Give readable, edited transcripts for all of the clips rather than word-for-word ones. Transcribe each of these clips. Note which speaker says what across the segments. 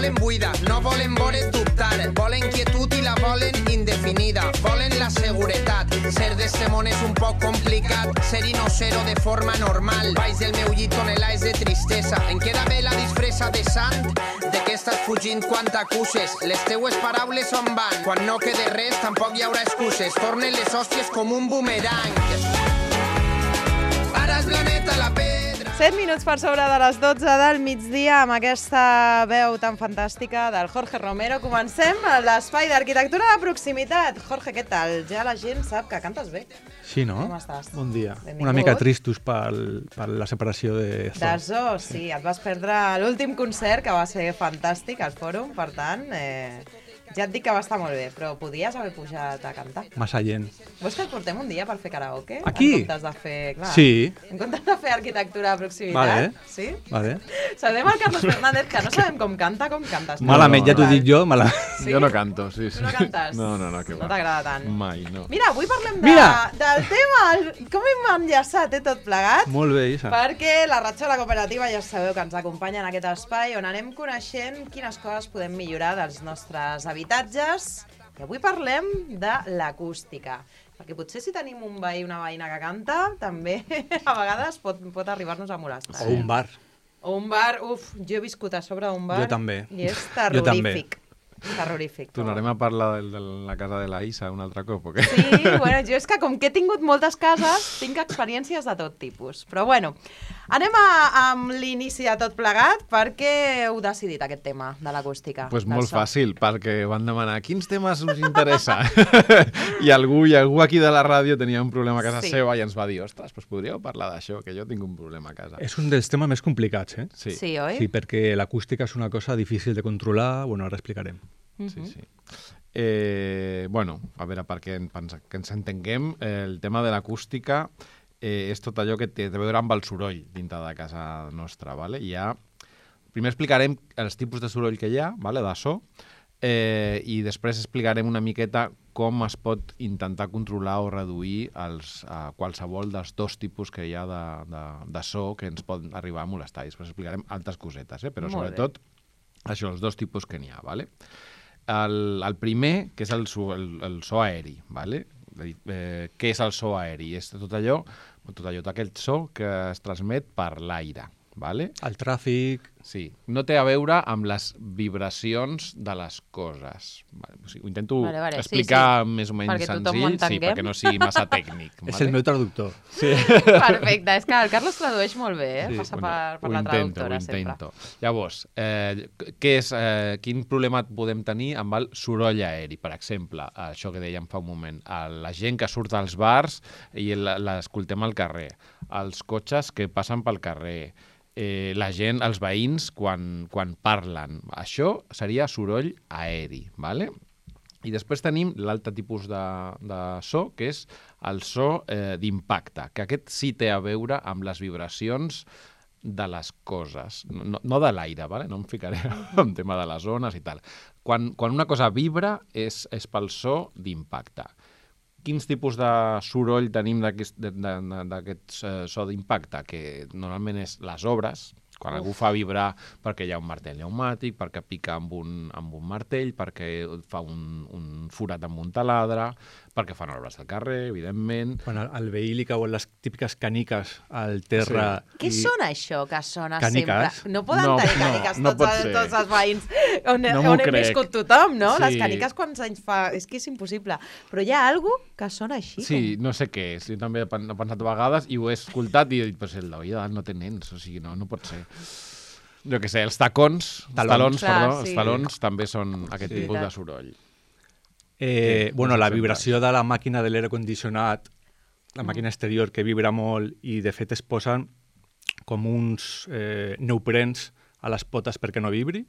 Speaker 1: volen buida, no volen veure't dubtar, volen quietud i la volen indefinida, volen la seguretat. Ser d'este món és un poc complicat, ser-hi no ser-ho de forma normal. Baix del meu llit tonelades de tristesa, em queda bé la disfressa de sant. De què estàs fugint quan t'acuses? Les teues paraules on van? Quan no quede res tampoc hi haurà excuses, tornen les hòsties com un boomerang. Ara és la neta la pedra.
Speaker 2: 7 minuts per sobre de les 12 del migdia amb aquesta veu tan fantàstica del Jorge Romero. Comencem l'espai d'arquitectura de proximitat. Jorge, què tal? Ja la gent sap que cantes bé.
Speaker 3: Sí, no?
Speaker 2: Com estàs?
Speaker 3: Bon dia.
Speaker 2: Benvingut.
Speaker 3: Una mica tristos per la separació de Zoo.
Speaker 2: De Zoo, sí. Et vas perdre l'últim concert, que va ser fantàstic, al Fòrum, per tant... Ja et dic que va estar molt bé, però podies haver pujat a cantar.
Speaker 3: Massa gent.
Speaker 2: Vols que et portem un dia per fer karaoke?
Speaker 3: Aquí?
Speaker 2: En comptes de fer... Clar,
Speaker 3: Sí.
Speaker 2: En comptes de fer arquitectura de proximitat.
Speaker 3: Vale.
Speaker 2: Sí?
Speaker 3: Vale.
Speaker 2: Saludem al Carlos Fernández, que no sabem com cantes.
Speaker 3: Malament, ja t'ho dic jo.
Speaker 2: Sí?
Speaker 4: Jo no canto, sí.
Speaker 2: Tu no cantes?
Speaker 4: No, que
Speaker 2: No
Speaker 4: va.
Speaker 2: t'agrada tant.
Speaker 4: Mai, no.
Speaker 2: Mira, avui parlem
Speaker 3: Mira!
Speaker 2: del tema, com hem enllaçat tot plegat,
Speaker 3: Molt bé, Isa.
Speaker 2: perquè la Ratxola Cooperativa ja sabeu que ens acompanya en aquest espai on anem coneixent quines coses podem millorar dels nostres habitatges. I avui parlem de l'acústica, perquè potser si tenim un veí o una veïna que canta, també a vegades pot arribar-nos a molestar.
Speaker 3: O un bar.
Speaker 2: O un bar, jo he viscut a sobre d'un bar.
Speaker 3: Jo també.
Speaker 2: I és
Speaker 3: Jo també.
Speaker 2: terrorífic. Terrorífic.
Speaker 4: Tornarem a parlar de la casa de la Isa un altre cop, o què?
Speaker 2: Sí, bueno, jo és que com que he tingut moltes cases, tinc experiències de tot tipus. Però bueno, anem amb l'inici de tot plegat, perquè heu decidit aquest tema de l'acústica.
Speaker 4: Pues
Speaker 2: del
Speaker 4: molt
Speaker 2: so.
Speaker 4: fàcil, perquè van demanar quins temes us interessa. I algú aquí de la ràdio tenia un problema a casa
Speaker 2: Sí.
Speaker 4: seva i ens va dir, ostres, pues podríeu parlar d'això, que jo tinc un problema a casa.
Speaker 3: És un dels temes més complicats,
Speaker 4: Sí,
Speaker 2: Sí, oi?
Speaker 3: Sí, perquè l'acústica és una cosa difícil de controlar. Bueno, ara explicarem.
Speaker 4: sí. Bueno, a veure, perquè ens entenguem, el tema de l'acústica és tot allò que té a veure amb el soroll dintre de casa nostra, ¿vale? Primer explicarem els tipus de soroll que hi ha, ¿vale? De so, i després explicarem una miqueta com es pot intentar controlar o reduir qualsevol dels dos tipus que hi ha de so que ens pot arribar a molestar. I després explicarem altres cosetes, però
Speaker 2: Molt bé.
Speaker 4: sobretot això, els dos tipus que n'hi ha, ¿vale? El primer, que és el so aeri, ¿vale? Què és el so aeri? És tot allò, tot aquell so que es transmet per l'aire, ¿vale?
Speaker 3: El tràfic...
Speaker 4: Sí, no té a veure amb les vibracions de les coses. Vale, o sigui, ho intento
Speaker 2: Vale,
Speaker 4: explicar
Speaker 2: sí.
Speaker 4: més o menys
Speaker 2: Perquè tothom ho
Speaker 4: senzill,
Speaker 2: entenguem.
Speaker 4: perquè no sigui massa tècnic.
Speaker 3: És el meu traductor.
Speaker 4: Sí.
Speaker 2: Perfecte, és que el Carlos tradueix molt bé,
Speaker 3: Sí,
Speaker 2: passa per la traductora sempre.
Speaker 4: Llavors, quin problema podem tenir amb el soroll aeri? Per exemple, això que dèiem fa un moment, la gent que surt als bars i l'escoltem al carrer, els cotxes que passen pel carrer, la gent, els veïns, quan parlen. Això seria soroll aeri, ¿vale? I després tenim l'altre tipus de so, que és el so d'impacte, que aquest sí té a veure amb les vibracions de les coses, no de l'aire, ¿vale? No em ficaré en tema de les ones i tal. Quan una cosa vibra és pel so d'impacte. Quins tipus de soroll tenim d'aquest so d'impacte? Que normalment és les obres, quan algú fa vibrar perquè hi ha un martell pneumàtic, perquè pica amb un martell, perquè fa un forat amb un taladre, perquè fan obres al carrer, evidentment.
Speaker 3: Quan al veí li cauen les típiques caniques al terra...
Speaker 4: Sí.
Speaker 2: Què sona això que sona
Speaker 3: Càniques?
Speaker 2: sempre? No poden
Speaker 4: No,
Speaker 2: tenir càniques
Speaker 4: no pot ser.
Speaker 2: tots els veïns on
Speaker 4: No m'ho
Speaker 2: hem
Speaker 4: crec.
Speaker 2: viscut tothom, no?
Speaker 4: Sí.
Speaker 2: Les càniques quants anys fa? És que és impossible. Però hi ha algú que sona així.
Speaker 4: Sí, no sé què és. Jo també he pensat a vegades i ho he escoltat i he dit, però si el d'avui no té nens, o sigui, no pot ser. Jo què sé, els talons,
Speaker 2: Clar,
Speaker 4: els
Speaker 2: sí.
Speaker 4: talons també són aquest
Speaker 2: Sí.
Speaker 4: tipus de soroll.
Speaker 3: Bueno, la vibració de la màquina de l'aire condicionat, la màquina exterior que vibra molt i de fet es posen com uns neoprens a les potes perquè no vibri.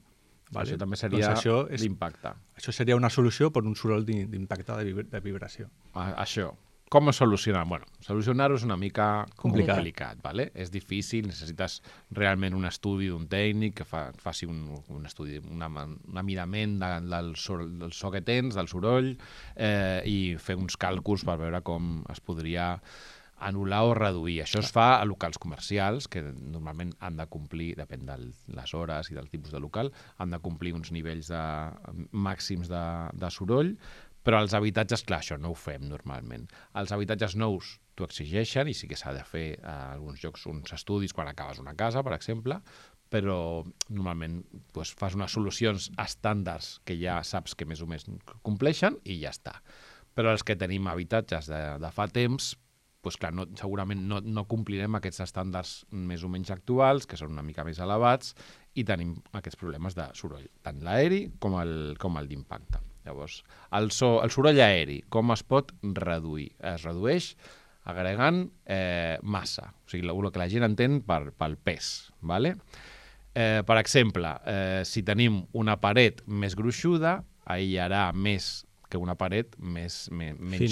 Speaker 3: Vale?
Speaker 4: Això també seria
Speaker 3: Doncs
Speaker 4: l'impacte.
Speaker 3: això seria una solució per un soroll d'impacte de vibració.
Speaker 4: Això. Com ho solucionar? Bueno, solucionar-ho és una mica
Speaker 3: Complicat.
Speaker 4: ¿vale? És difícil, necessites realment un estudi d'un tècnic que faci un estudi, un midament del so que tens, del soroll, i fer uns càlculs per veure com es podria anul·lar o reduir. Això es fa a locals comercials, que normalment han de complir, depèn de les hores i del tipus de local, han de complir uns nivells màxims de soroll, però als habitatges, clar, això no ho fem normalment. Els habitatges nous t'ho exigeixen i sí que s'ha de fer a alguns llocs uns estudis quan acabes una casa, per exemple, però normalment doncs, fas unes solucions estàndards que ja saps que més o menys compleixen i ja està. Però els que tenim habitatges de fa temps, doncs, clar, segurament no complirem aquests estàndards més o menys actuals, que són una mica més elevats, i tenim aquests problemes de soroll, tant l'aeri com el d'impacte. Llavors, el soroll aeri, com es pot reduir? Es redueix agregant massa, o sigui, el que la gent entén pel pes, ¿vale? Per exemple, si tenim una paret més gruixuda, aïllarà més que una paret menys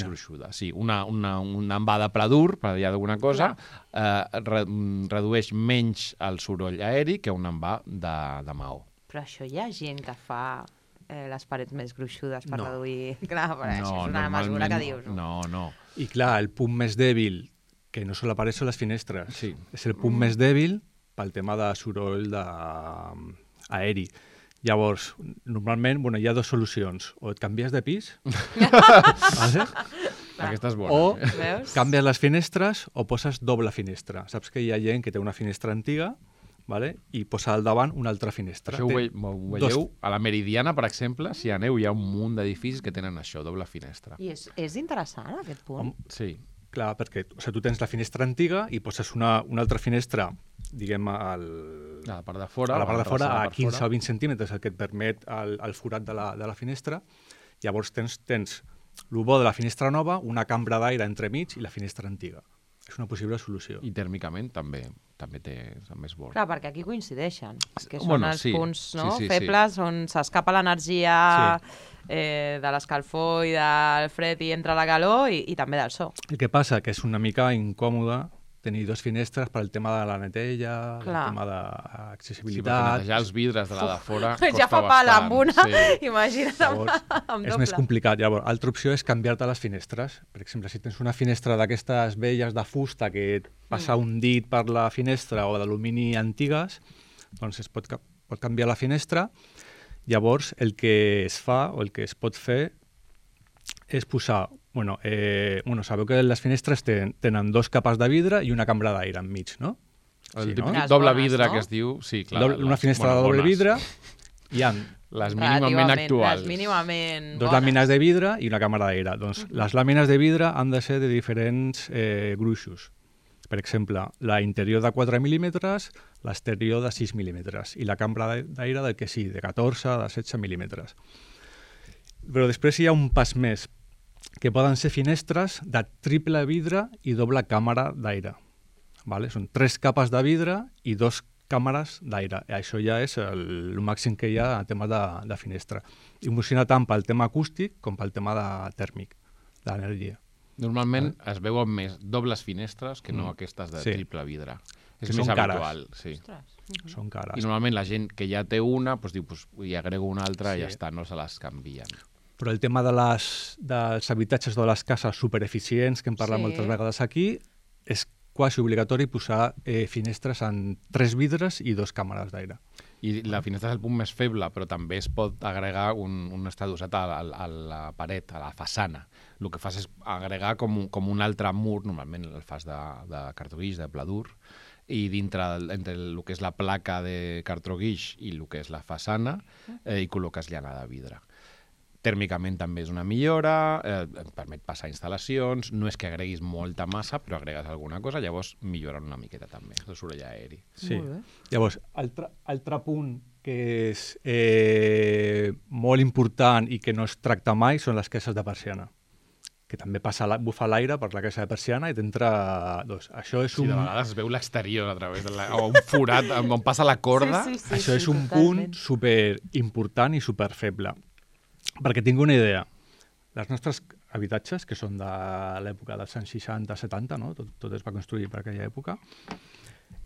Speaker 4: gruixuda. Sí, una envà de pla dur, per dir alguna cosa, redueix menys el soroll aeri que un envà de maó.
Speaker 2: Però això hi ha gent que fa les parets més gruixudes per reduir... Clar, això és una mesura que dius.
Speaker 4: No.
Speaker 3: I clar, el punt més dèbil, que no són les parets, són les finestres. Sí. És el punt més dèbil pel tema de soroll aeri. Llavors, normalment, hi ha dues solucions. O et canvies de pis, vale?
Speaker 4: Aquesta és bona.
Speaker 3: O canvies les finestres o poses doble finestra. Saps que hi ha gent que té una finestra antiga, vale? I posa al davant una altra finestra.
Speaker 4: Això ho veieu a la Meridiana, per exemple, si aneu, hi ha un munt d'edificis que tenen això, doble finestra.
Speaker 2: I és interessant, aquest punt.
Speaker 4: Sí.
Speaker 3: Clar, perquè tu tens la finestra antiga i poses una altra finestra, diguem, a
Speaker 4: la part de fora,
Speaker 3: a 15 o 20 centímetres, el que et permet el forat de la finestra. Llavors tens el bo de la finestra nova, una cambra d'aire entremig i la finestra antiga. És una possible solució.
Speaker 4: I tèrmicament també és bo.
Speaker 2: Clar, perquè aquí coincideixen, que són els punts febles on s'escapa l'energia de l'escalfor i del fred i entra la calor i també del so.
Speaker 3: El que passa que és una mica incòmode tenir dues finestres per al tema de la netella, el tema d'accessibilitat... Sí, perquè
Speaker 4: netejar els vidres de la de fora costa bastant.
Speaker 2: Ja fa pal amb una, imagina't amb doble.
Speaker 3: És més complicat. Llavors, l'altra opció és canviar-te les finestres. Per exemple, si tens una finestra d'aquestes velles de fusta que et passa un dit per la finestra o d'alumini antigues, doncs es pot canviar la finestra. Llavors, el que es fa o el que es pot fer és posar... sabeu que les finestres tenen dos capes de vidre i una cambra d'aire enmig, no?
Speaker 4: El típic doble vidre que es diu... Sí, clar.
Speaker 3: Una finestra de doble vidre hi ha...
Speaker 4: Les mínimament actuals.
Speaker 3: Dos làmines de vidre i una càmera d'aire. Doncs les làmines de vidre han de ser de diferents gruixos. Per exemple, la interior de 4 mil·límetres, l'exterior de 6 mil·límetres i la càmera d'aire del que sí, de 14, de 16 mil·límetres. Però després hi ha un pas més, que poden ser finestres de triple vidre i doble càmera d'aire. Vale? Són 3 capes de vidre i 2 càmeres d'aire. Això ja és el màxim que hi ha en tema de finestra. I funciona tant pel tema acústic com pel tema tèrmic, d'energia.
Speaker 4: Normalment es veuen més dobles finestres que no aquestes de triple vidre. És més habitual. Sí.
Speaker 3: Són cares.
Speaker 4: I normalment la gent que ja té una diu, hi agrego una altra i ja està, no se les canvien.
Speaker 3: Però el tema dels habitatges o de les cases supereficients, que hem parlat moltes vegades aquí, és quasi obligatori posar finestres amb 3 vidres i 2 càmeres d'aire.
Speaker 4: I la finestra és el punt més feble, però també es pot agregar un estadosat a la paret, a la façana. El que fas és agregar com un altre mur, normalment el fas de cartó guix, de pla dur, i entre el que és la placa de cartó guix i el que és la façana, hi col·loques llana de vidre. Tèrmicament també és una millora, et permet passar instal·lacions, no és que agreguis molta massa, però agregues alguna cosa, llavors milloren una miqueta també, el soroll aeri.
Speaker 3: Sí. Llavors, altre punt que és molt important i que no es tracta mai són les caixes de persiana, que també bufa l'aire per la caixa de persiana i t'entra... Això és
Speaker 4: de vegades es veu l'exterior a través o un forat on passa la corda.
Speaker 3: Això és un punt superimportant i superfeble. Perquè tinc una idea, els nostres habitatges, que són de l'època dels anys 60-70, no? Tot es va construir per aquella època,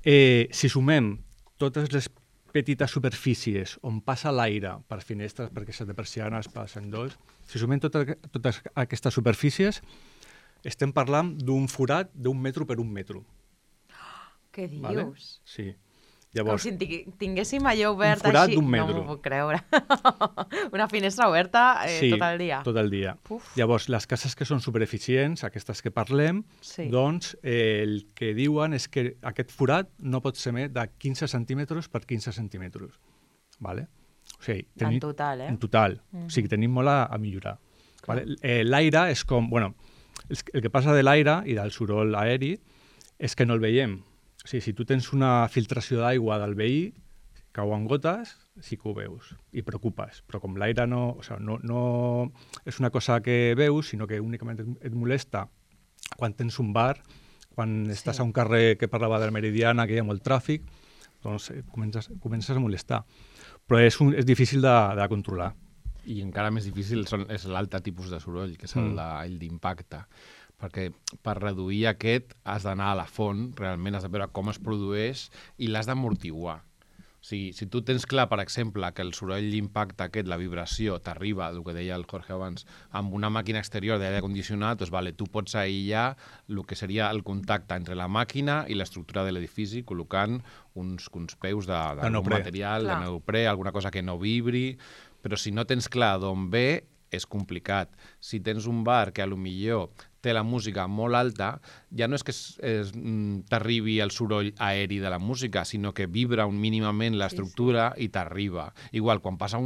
Speaker 3: si sumem totes les petites superfícies on passa l'aire per finestres, per caixes de persianes, per sendolls, si sumem totes aquestes superfícies, estem parlant d'un forat d'1 metro per 1 metro.
Speaker 2: Què dius?
Speaker 3: Vale? Sí.
Speaker 2: Com
Speaker 3: Llavors,
Speaker 2: si tinguéssim allò obert
Speaker 3: un forat
Speaker 2: així.
Speaker 3: d'un metro.
Speaker 2: No m'ho puc creure. Una finestra oberta tot el dia.
Speaker 3: tot el dia.
Speaker 2: Uf.
Speaker 3: Llavors, les cases que són supereficients, aquestes que parlem,
Speaker 2: Sí.
Speaker 3: doncs el que diuen és que aquest forat no pot ser més de 15 centímetres per 15 centímetres. Vale? O sigui,
Speaker 2: En total, eh?
Speaker 3: En total. O sigui, tenim molt a millorar. Vale? L'aire és com... Bueno, el que passa de l'aire i del soroll aeri és que no el veiem. O sigui, si tu tens una filtració d'aigua del veí, cauen gotes, sí que ho veus i preocupes. Però com l'aire no és una cosa que veus, sinó que únicament et molesta quan tens un bar, quan estàs a un carrer que parlava de la Meridiana, que hi ha molt tràfic, doncs comences a molestar. Però és difícil de controlar.
Speaker 4: I encara més difícil és l'altre tipus de soroll, que és el d'impacte. Perquè per reduir aquest has d'anar a la font, realment has de veure com es produeix i l'has d'amortiguar. O sigui, si tu tens clar, per exemple, que el soroll d'impacte aquest, la vibració, t'arriba, el que deia el Jorge abans, amb una màquina exterior d'aire condicionat, doncs vale, tu pots aïllar el que seria el contacte entre la màquina i l'estructura de l'edifici, col·locant uns peus d'algun material, de neoprè, alguna cosa que no vibri, però si no tens clar d'on ve, és complicat. Si tens un bar que potser té la música molt alta, ja no és que t'arribi el soroll aeri de la música, sinó que vibra mínimament l'estructura i t'arriba. Igual, quan passa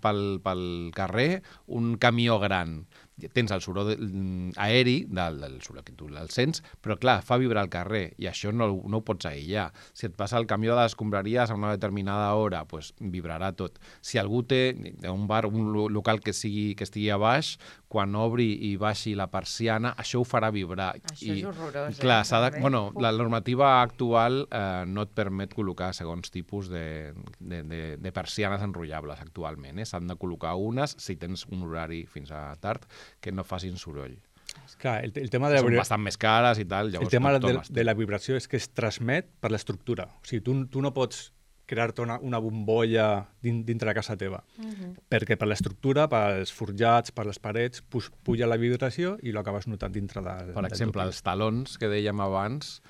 Speaker 4: pel carrer un camió gran, tens el soroll aeri del soroll que tu el sents, però clar, fa vibrar el carrer i això no ho pots aïllar. Si et passa el camió de les escombraries a una determinada hora, doncs vibrarà tot. Si algú té un bar, un local que estigui a baix, quan obri i baixi la persiana, això ho farà vibrar.
Speaker 2: Això és horrorós.
Speaker 4: Clar, la normativa actual no et permet col·locar segons tipus de persianes enrotllables actualment. S'han de col·locar unes, si tens un horari fins a tard, que no facin soroll.
Speaker 3: Clar, el tema de
Speaker 4: Són bastant més cares i tal.
Speaker 3: El tema de la vibració és que es transmet per l'estructura. O sigui, tu no pots crear-te una bombolla dintre de casa teva, perquè per l'estructura, pels forjats, per les parets, puja la vibració i l'acabes notant dintre del...
Speaker 4: Per exemple, els talons que dèiem abans,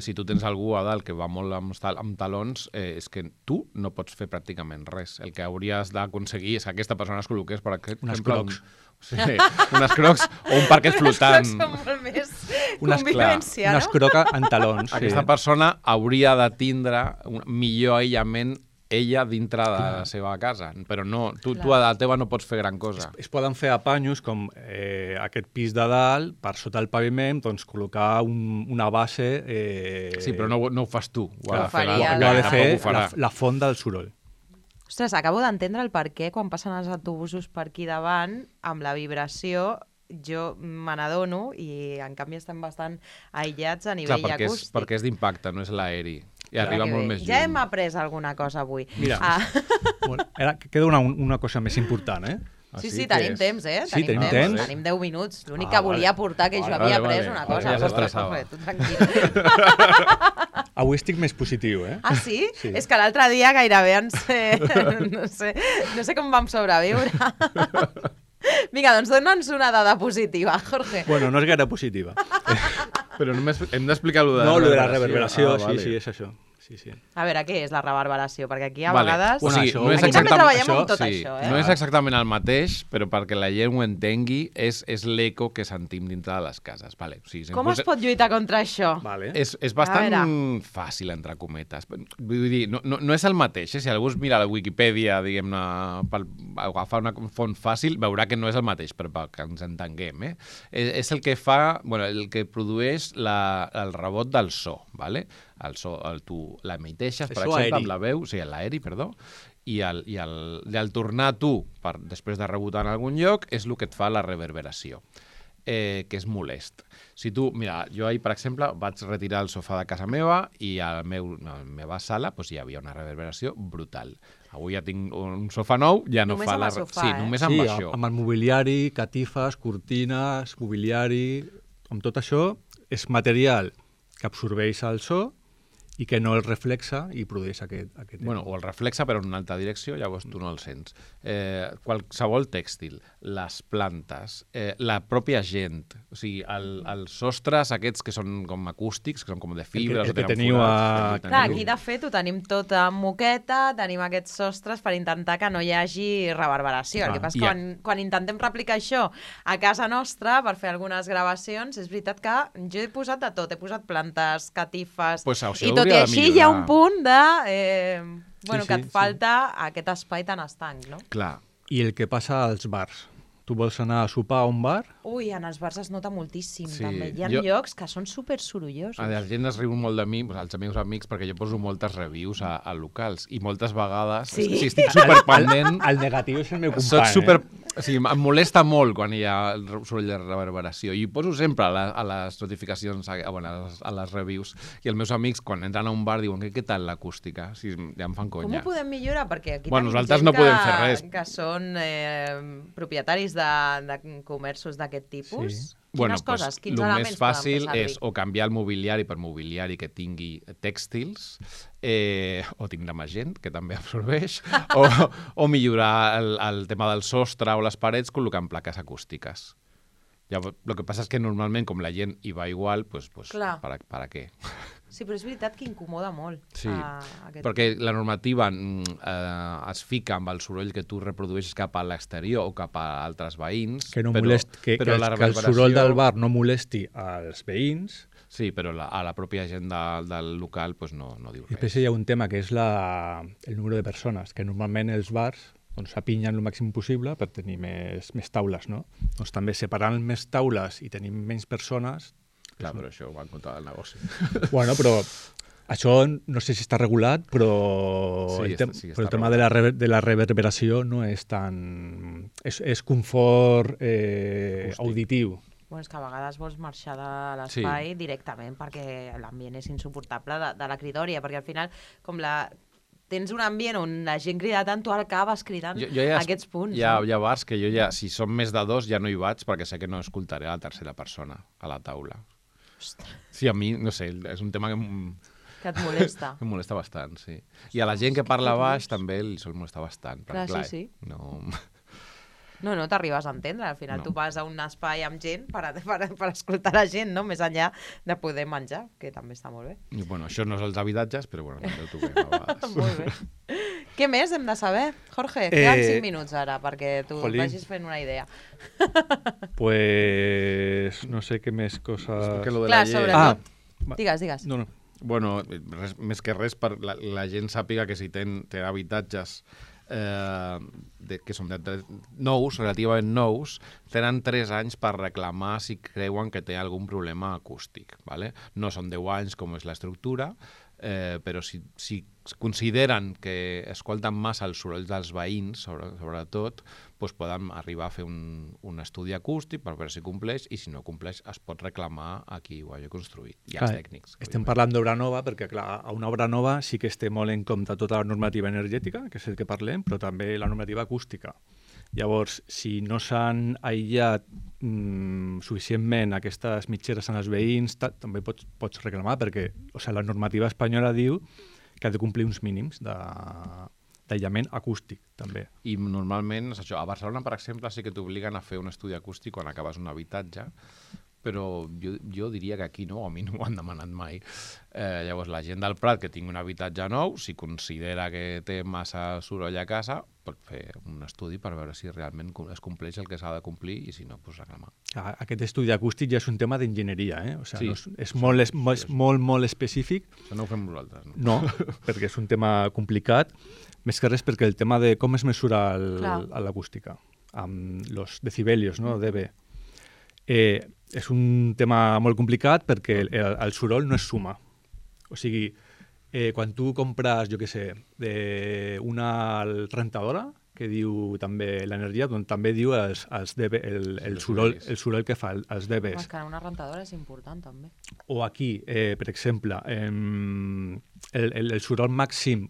Speaker 4: si tu tens algú a dalt que va molt amb talons, és que tu no pots fer pràcticament res. El que hauries d'aconseguir és que aquesta persona es col·loqués, per exemple...
Speaker 3: Unes crocs.
Speaker 4: Unes crocs o un parquet flotant.
Speaker 2: Les crocs són molt més convivència, no?
Speaker 3: Unes crocs en talons.
Speaker 4: Aquesta persona hauria de tindre un millor aïllament ella dintre de la seva casa, però no, tu a la teva no pots fer gran cosa.
Speaker 3: Es poden fer apanyos com aquest pis de dalt, per sota el paviment, doncs col·locar una base...
Speaker 4: Sí, però no ho fas tu. Ho ha
Speaker 3: de fer la font del soroll.
Speaker 2: Ostres, acabo d'entendre el per què quan passen els autobusos per aquí davant, amb la vibració, jo me n'adono i en canvi estem bastant aïllats a nivell acústic.
Speaker 4: Perquè és d'impacte, no és l'aeri. I arriba molt més lluny.
Speaker 2: Ja hem après alguna cosa avui.
Speaker 3: Mira, queda una cosa més important, eh?
Speaker 2: Sí, tenim temps, eh?
Speaker 3: Sí, tenim temps.
Speaker 2: Tenim 10 minuts. L'únic que volia aportar que jo havia après una cosa.
Speaker 4: Ja s'estressava.
Speaker 2: Tu tranquil.
Speaker 3: Avui estic més positiu, eh?
Speaker 2: Ah, sí? És que l'altre dia gairebé no sé com vam sobreviure. Vinga, doncs dona'ns una dada positiva, Jorge.
Speaker 3: Bueno, no és gaire positiva.
Speaker 4: Però només hem d'explicar allò de
Speaker 3: la reverberació. No, allò de la reverberació, sí, és això. Sí.
Speaker 2: A veure, què és la reverberació? Perquè aquí a vegades...
Speaker 4: O sigui,
Speaker 2: aquí també treballem amb tot això, eh?
Speaker 4: No és exactament el mateix, però perquè la gent ho entengui, és l'eco que sentim dintre de les cases. Vale. O sigui,
Speaker 2: com es pot lluitar contra això?
Speaker 3: Vale.
Speaker 4: És bastant fàcil, entre cometes. Vull dir, no és el mateix. Si algú es mira la Wikipedia, diguem-ne, per agafar una font fàcil, veurà que no és el mateix, però que ens entenguem. És el que fa, el que produeix el rebot del so, vale? El so, tu l'emiteixes, per exemple, amb la veu, o sigui, l'aeri, perdó, i al tornar tu, després de rebotar en algun lloc, és el que et fa la reverberació, que és molest. Si tu, mira, jo ahir, per exemple, vaig retirar el sofà de casa meva i a la meva sala hi havia una reverberació brutal. Avui ja tinc un sofà nou, ja no fa la...
Speaker 2: Sí,
Speaker 4: només amb això.
Speaker 3: Amb el mobiliari, catifes, cortines, mobiliari... Amb tot això, és material que absorbeix el so i que no el reflexa i produeix aquest
Speaker 4: Bueno, o el reflexa però en una altra direcció, llavors tu no el sents. Qualsevol tèxtil, les plantes, la pròpia gent, o sigui, els sostres aquests que són com acústics, que són com de fibres,
Speaker 3: el que
Speaker 4: o tenen
Speaker 3: teniu
Speaker 4: forats,
Speaker 2: Clar, aquí de fet ho tenim tot en moqueta, tenim aquests sostres per intentar que no hi hagi reverberació. El que passa és que quan intentem replicar això a casa nostra per fer algunes gravacions, és veritat que jo he posat de tot, he posat plantes, catifes,
Speaker 4: Pues això
Speaker 2: i tot i
Speaker 4: hauria de
Speaker 2: així hi ha un
Speaker 4: millorar.
Speaker 2: punt de
Speaker 3: Sí,
Speaker 2: que et
Speaker 3: sí.
Speaker 2: falta aquest espai tan estanc, no?
Speaker 4: Clar.
Speaker 3: I el que passa als bars. Tu vols anar a sopar a un bar?
Speaker 2: Ui, en els bars es nota moltíssim,
Speaker 4: Sí,
Speaker 2: també. Hi ha
Speaker 4: jo-
Speaker 2: llocs que són super sorollosos.
Speaker 4: La gent es riu molt de mi, els meus amics, perquè jo poso moltes reviews a locals i moltes vegades,
Speaker 2: Sí.
Speaker 4: si estic superpendent,
Speaker 3: El negatiu és el meu company.
Speaker 4: soc super... O sigui, em molesta molt quan hi ha el soroll de reverberació i ho poso sempre a les notificacions, a les reviews, i els meus amics quan entren a un bar diuen què tal l'acústica? Si ja em fan
Speaker 2: Com
Speaker 4: conya.
Speaker 2: ho podem millorar? Perquè aquí
Speaker 4: Bueno,
Speaker 2: tenim
Speaker 4: nosaltres
Speaker 2: gent
Speaker 4: no podem fer res.
Speaker 2: que són propietaris de comerços d'aquest tipus.
Speaker 3: Sí.
Speaker 2: Quines coses, quins
Speaker 4: el
Speaker 2: elements
Speaker 4: més fàcil
Speaker 2: poden fer
Speaker 4: és o canviar el mobiliari per mobiliari que tingui tèxtils, o tindre més gent, que també absorbeix, o millorar el tema del sostre o les parets col·locant plaques acústiques. Llavors, el que passa és que normalment, com la gent hi va igual, pues
Speaker 2: Clar.
Speaker 4: ¿para qué?
Speaker 2: Sí, però és veritat que incomoda molt.
Speaker 4: Sí,
Speaker 2: aquest
Speaker 4: perquè la normativa es fica amb el soroll que tu reprodueixes cap a l'exterior o cap a altres veïns,
Speaker 3: Que no
Speaker 4: però,
Speaker 3: molesti, que
Speaker 4: però la
Speaker 3: el
Speaker 4: reverberació...
Speaker 3: soroll del bar no molesti als veïns.
Speaker 4: Sí, però a la pròpia gent del local pues no diu
Speaker 3: I
Speaker 4: res.
Speaker 3: després hi ha un tema que és el número de persones, que normalment els bars doncs, s'apinyen el màxim possible per tenir més taules, no? Doncs també separant més taules i tenim menys persones...
Speaker 4: Clar, però això va en contra del negoci.
Speaker 3: Bueno, però això no sé si està regulat, però,
Speaker 4: Sí, sí que està
Speaker 3: però el tema de la reverberació no és tan... És confort auditiu.
Speaker 2: Bueno, és que a vegades vols marxar de l'espai directament perquè l'ambient és insuportable de la cridòria, perquè al final, com tens un ambient on la gent crida tant, tu acabes cridant aquests punts.
Speaker 4: Hi ha bars que jo ja, si són més de dos, ja no hi vaig perquè sé que no escoltaré a la tercera persona a la taula.
Speaker 2: Ostres,
Speaker 4: Sí, a mi, no sé, és un tema que
Speaker 2: que et molesta.
Speaker 4: em molesta bastant, sí. I a la gent que parla baix també li sol molestar bastant.
Speaker 2: Clar,
Speaker 4: perquè,
Speaker 2: sí.
Speaker 4: No...
Speaker 2: No t'arribes a entendre. Al final
Speaker 4: No.
Speaker 2: tu vas a un espai amb gent per escoltar la gent, no? Més enllà de poder menjar, que també està molt bé.
Speaker 4: I, bueno, això no és els habitatges, però bueno, també ho toquem a vegades.
Speaker 2: Molt bé. Què més hem de saber? Jorge, queden 5 minuts ara perquè tu
Speaker 3: Jolín.
Speaker 2: vagis fent una idea.
Speaker 3: Pues no sé què més coses...
Speaker 4: Perquè lo de
Speaker 2: Clar,
Speaker 4: la llei...
Speaker 2: sobretot.
Speaker 3: va.
Speaker 2: Digues.
Speaker 3: No.
Speaker 4: Bueno, més que res, per la gent sàpiga que si té habitatges que són nous, relativament nous, tenen 3 anys per reclamar si creuen que té algun problema acústic. ¿Vale? No són 10 anys com és l'estructura, però si consideren que escolten massa els sorolls dels veïns, sobretot, doncs poden arribar a fer un estudi acústic per veure si compleix, i si no compleix es pot reclamar a qui ho hagi construït, i als tècnics.
Speaker 3: Estem parlant d'obra nova perquè, clar, a una obra nova sí que es té molt en compte tota la normativa energètica, que és el que parlem, però també la normativa acústica. Llavors, si no s'han aïllat suficientment aquestes mitgeres en els veïns, també pots reclamar, perquè la normativa espanyola diu que ha de complir uns mínims d'aïllament acústic, també.
Speaker 4: I normalment, és això, a Barcelona, per exemple, sí que t'obliguen a fer un estudi acústic quan acabes un habitatge, però jo diria que aquí no, a mi no m'ho han demanat mai. Llavors, la gent del Prat que tingui un habitatge nou, si considera que té massa soroll a casa, pot fer un estudi per veure si realment es compleix el que s'ha de complir i si no, doncs reclamar.
Speaker 3: Aquest estudi acústic ja és un tema d'enginyeria, o sigui,
Speaker 4: Sí,
Speaker 3: és molt específic.
Speaker 4: Això no ho fem nosaltres, no?
Speaker 3: No, perquè és un tema complicat, més que res perquè el tema de com es mesura l'acústica, amb els decibelios, no, dB. És un tema molt complicat perquè el soroll no és suma. O sigui, quan tu compres, jo què sé, una rentadora, que diu també l'energia, doncs també diu el soroll que fa, els dBs.
Speaker 2: És que una rentadora és important, també.
Speaker 3: O aquí, per exemple, el soroll màxim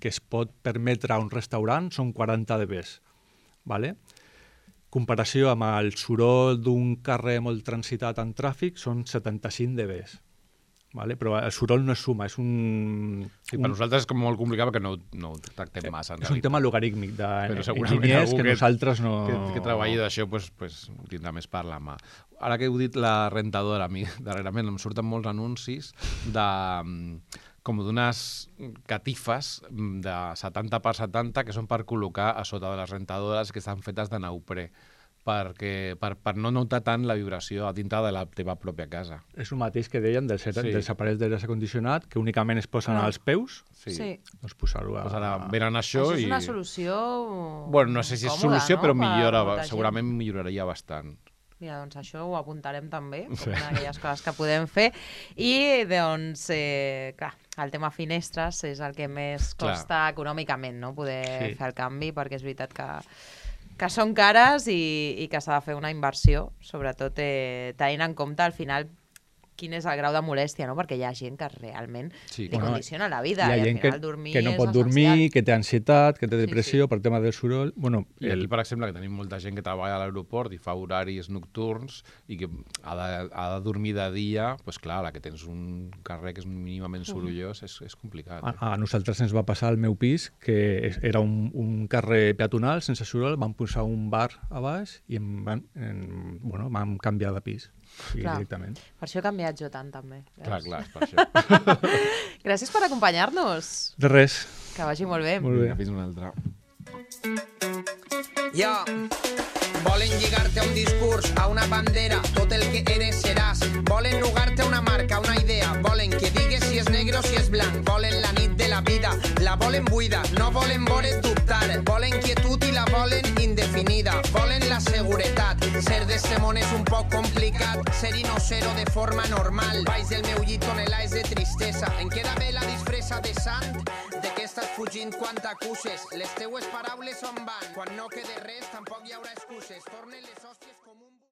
Speaker 3: que es pot permetre a un restaurant són 40 dBs. ¿Vale? Comparació amb el soroll d'un carrer molt transitat en tràfic són 75 dBs. vale? Però el soroll no és suma, és un...
Speaker 4: Sí, per nosaltres és com molt complicat perquè no ho tractem massa.
Speaker 3: És un tema logarítmic
Speaker 4: segurament
Speaker 3: d'enginyers
Speaker 4: algú
Speaker 3: que nosaltres no...
Speaker 4: Que treballi d'això pues, tindrà més per la mà. Ara que heu dit la rentadora, a mi darrerament em surten molts anuncis com d'unes catifes de 70 per 70 que són per col·locar a sota de les rentadores que estan fetes de neoprè, per no notar tant la vibració a dintre de la teva pròpia casa.
Speaker 3: És el mateix que deien dels aparells d'aire condicionat, que únicament es posen als peus,
Speaker 2: Sí.
Speaker 3: doncs posar-ho a...
Speaker 4: Pues ara venen això
Speaker 2: Això és
Speaker 4: i...
Speaker 2: una solució
Speaker 4: Bueno, no sé si és
Speaker 2: còmoda,
Speaker 4: solució,
Speaker 2: no?
Speaker 4: però
Speaker 2: Per
Speaker 4: millora,
Speaker 2: molta gent.
Speaker 4: segurament milloraria bastant.
Speaker 2: Mira, doncs això ho apuntarem també, com una d'aquelles coses que podem fer. I, doncs, clar, el tema finestres és el que més costa econòmicament, no?, poder fer el canvi, perquè és veritat que són cares i que s'ha de fer una inversió, sobretot tenint en compte al final quin és el grau de molèstia, no? Perquè hi ha gent que realment li condiciona la vida
Speaker 3: hi ha
Speaker 2: i al
Speaker 3: gent
Speaker 2: final dormir
Speaker 3: que no
Speaker 2: és
Speaker 3: pot
Speaker 2: essencial.
Speaker 3: dormir, que té ansietat, que té depressió per tema del soroll. Bueno,
Speaker 4: I aquí, per exemple, que tenim molta gent que treballa a l'aeroport i fa horaris nocturns i que ha de dormir de dia, doncs clar, la que tens un carrer que és mínimament sorollós és complicat.
Speaker 3: A nosaltres ens va passar al meu pis, que era un carrer peatonal sense soroll, vam posar un bar a baix i vam canviar de pis directament.
Speaker 2: Per això he canviat jo tant, també.
Speaker 4: Clar, és per això.
Speaker 2: Gràcies per acompanyar-nos.
Speaker 3: De res.
Speaker 2: Que vagi molt bé.
Speaker 3: Molt bé.
Speaker 4: Fins una altra.
Speaker 1: Volen lligarte a un discurs, a una bandera, tot el que eres seràs. Volen nugarte a una marca, una idea. Volen que digues si és negre o si és blanc. Volen la nit de la vida, la volen buida. No volen veure't dubtar. Volen quietud i la volen indefinida. Volen la seguretat. Ser d'este món és un poc complicat. Ser-hi no ser-ho de forma normal. Baix del meu llit tonelades de tristesa. Em queda bé la disfressa de sant. De què estàs fugint quan t'acuses? Les teues paraules on van? Quan no quede res tampoc hi haurà excuses. Tornen les hòsties...